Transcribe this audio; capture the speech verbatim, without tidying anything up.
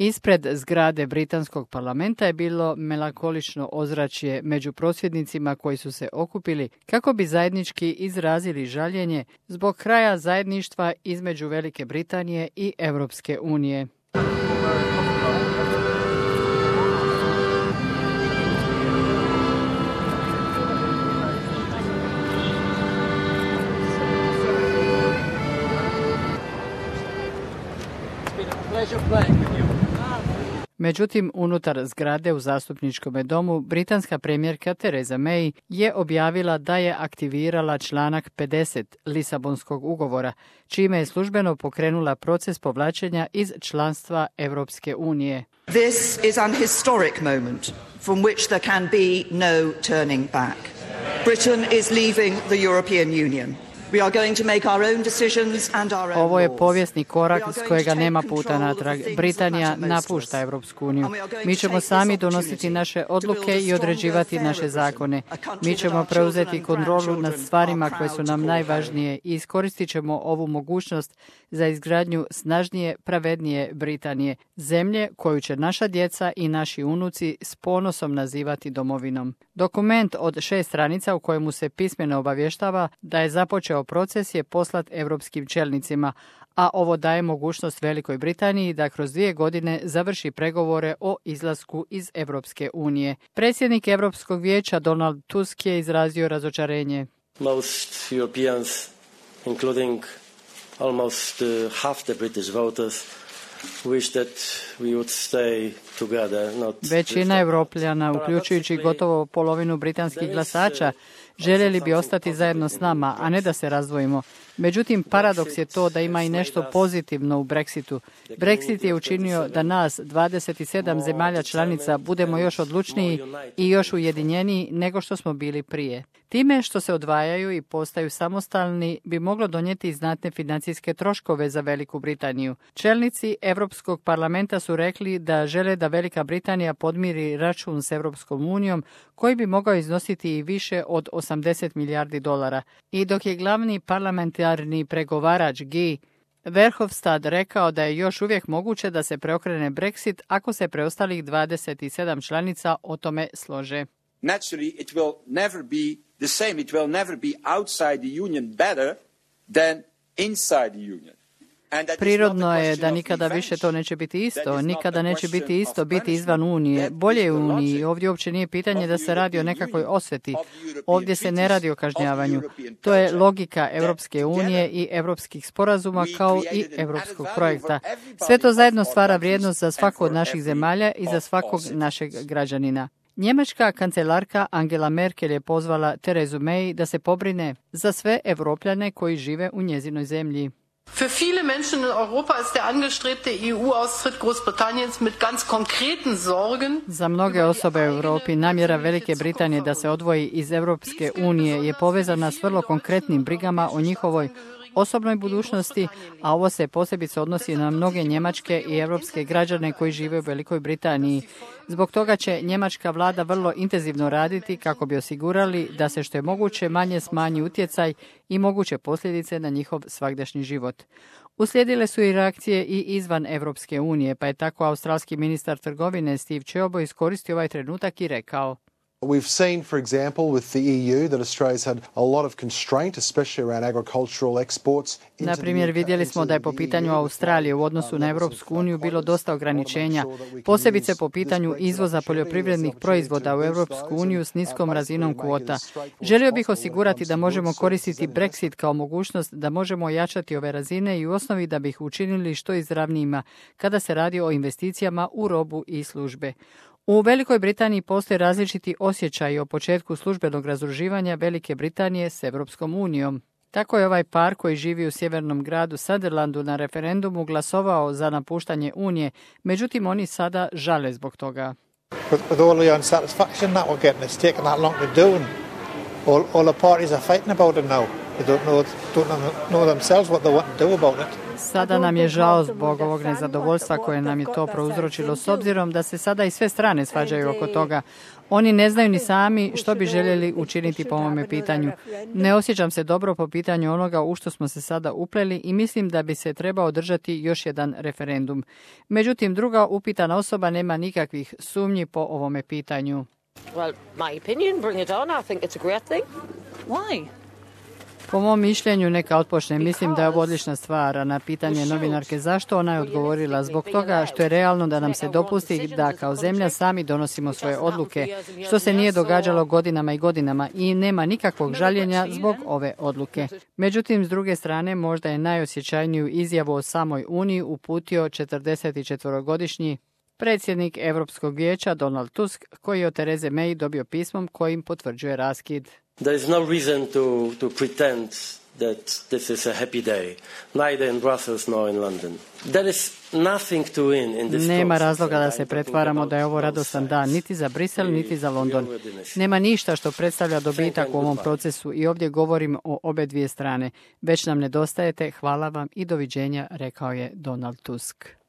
Ispred zgrade britanskog parlamenta je bilo melankolično ozračje među prosvjednicima koji su se okupili kako bi zajednički izrazili žaljenje zbog kraja zajedništva između Velike Britanije i Europske unije. Međutim, unutar zgrade u zastupničkom domu, britanska premijerka Theresa May je objavila da je aktivirala članak pedeset Lisabonskog ugovora, čime je službeno pokrenula proces povlačenja iz članstva Europske unije. This is an historic moment from which there can be no turning back. Britain is leaving the European Union. Ovo je povijesni korak s kojega nema puta natrag. Britanija napušta Europsku uniju. Mi ćemo sami donositi naše odluke i određivati naše zakone. Mi ćemo preuzeti kontrolu nad stvarima koje su nam najvažnije i iskoristit ćemo ovu mogućnost za izgradnju snažnije, pravednije Britanije, zemlje koju će naša djeca i naši unuci s ponosom nazivati domovinom. Dokument od šest stranica u kojemu se pismeno obavještava da je započeo proces je poslat europskim čelnicima, a ovo daje mogućnost Velikoj Britaniji da kroz dvije godine završi pregovore o izlasku iz Europske unije. Predsjednik Europskog vijeća Donald Tusk je izrazio razočarenje. Most Europeans, including almost uh, half the British voters, wish that we would stay together, not Većina Europljana, uključujući gotovo polovinu britanskih glasača, željeli bi ostati zajedno s nama, a ne da se razdvojimo. Međutim, paradoks je to da ima i nešto pozitivno u Brexitu. Brexit je učinio da nas, dvadeset sedam zemalja članica, budemo još odlučniji i još ujedinjeniji nego što smo bili prije. Time što se odvajaju i postaju samostalni bi moglo donijeti znatne financijske troškove za Veliku Britaniju. Čelnici Europskog parlamenta su rekli da žele da Velika Britanija podmiri račun s Europskom unijom koji bi mogao iznositi i više od osamdeset milijardi dolara. I dok je glavni parlamentarni pregovarač Guy Verhofstadt rekao da je još uvijek moguće da se preokrene Brexit ako se preostalih dvadeset sedam članica o tome slože. Naturally, it will never be the same. It will never be outside the union better than inside the union. Prirodno je da nikada više to neće biti isto. Nikada neće biti isto biti izvan Unije. Bolje je u Uniji. Ovdje uopće nije pitanje da se radi o nekakvoj osveti. Ovdje se ne radi o kažnjavanju. To je logika Europske unije i europskih sporazuma kao i europskog projekta. Sve to zajedno stvara vrijednost za svaku od naših zemalja i za svakog našeg građanina. Njemačka kancelarka Angela Merkel je pozvala Theresu May da se pobrine za sve Evropljane koji žive u njezinoj zemlji. Für viele Menschen in Europa ist der angestrebte E U-Austritt Großbritanniens mit ganz konkreten Sorgen. Za mnoge osobe u Europi namjera Velike Britanije da se odvoji iz Europske unije je povezana s vrlo konkretnim brigama o njihovoj osobnoj budućnosti, a ovo se posebice odnosi na mnoge njemačke i europske građane koji žive u Velikoj Britaniji. Zbog toga će njemačka vlada vrlo intenzivno raditi kako bi osigurali da se što je moguće manje smanji utjecaj i moguće posljedice na njihov svagdašnji život. Uslijedile su i reakcije i izvan Europske unije, pa je tako australski ministar trgovine Steve Ciobo iskoristio ovaj trenutak i rekao: We've seen, for example, with the E U that Australia's had a lot of constraint, especially around agricultural exports. Na primjer, vidjeli smo da je po pitanju Australije u odnosu na Europsku uniju bilo dosta ograničenja, posebice po pitanju izvoza poljoprivrednih proizvoda u Europsku uniju s niskom razinom kvota. Želio bih osigurati da možemo koristiti Brexit kao mogućnost da možemo ojačati ove razine i u osnovi da bi ih učinili što izravnijima kada se radi o investicijama u robu i službe. U Velikoj Britaniji postoje različiti osjećaji o početku službenog razdruživanja Velike Britanije s Europskom unijom. Tako je ovaj par koji živi u sjevernom gradu Sutherlandu na referendumu glasovao za napuštanje Unije, međutim oni sada žale zbog toga. With all the unsatisfaction that we're getting, it's taken that long to do, and all, all the parties are fighting about it now. They don't know, don't know themselves what they want to do about it. Sada nam je žao zbog ovog nezadovoljstva koje nam je to prouzročilo, s obzirom da se sada i sve strane svađaju oko toga. Oni ne znaju ni sami što bi željeli učiniti po ovome pitanju. Ne osjećam se dobro po pitanju onoga u što smo se sada upleli i mislim da bi se trebao održati još jedan referendum. Međutim, druga upitana osoba nema nikakvih sumnji po ovome pitanju. Well, my opinion, bring it on. I think it's a great thing. Why? Po mom mišljenju neka otpočne. Mislim da je ovo odlična stvar. A na pitanje novinarke zašto, ona je odgovorila zbog toga što je realno da nam se dopusti da kao zemlja sami donosimo svoje odluke, što se nije događalo godinama i godinama i nema nikakvog žaljenja zbog ove odluke. Međutim, s druge strane, možda je najosjećajniju izjavu o samoj Uniji uputio četrdesetčetvorogodišnji predsjednik Europskog vijeća Donald Tusk, koji je od Tereze May dobio pismom kojim potvrđuje raskid. There is no reason to, to pretend that this is a happy day, neither in Brussels nor in London. There is nothing to win in this Nema process, razloga da and se I'm pretvaramo da je ovo radostan dan, niti za Brisel, niti za London. Nema ništa što predstavlja dobitak u ovom procesu i ovdje govorim o obe dvije strane. Već nam nedostajete, hvala vam i doviđenja, rekao je Donald Tusk.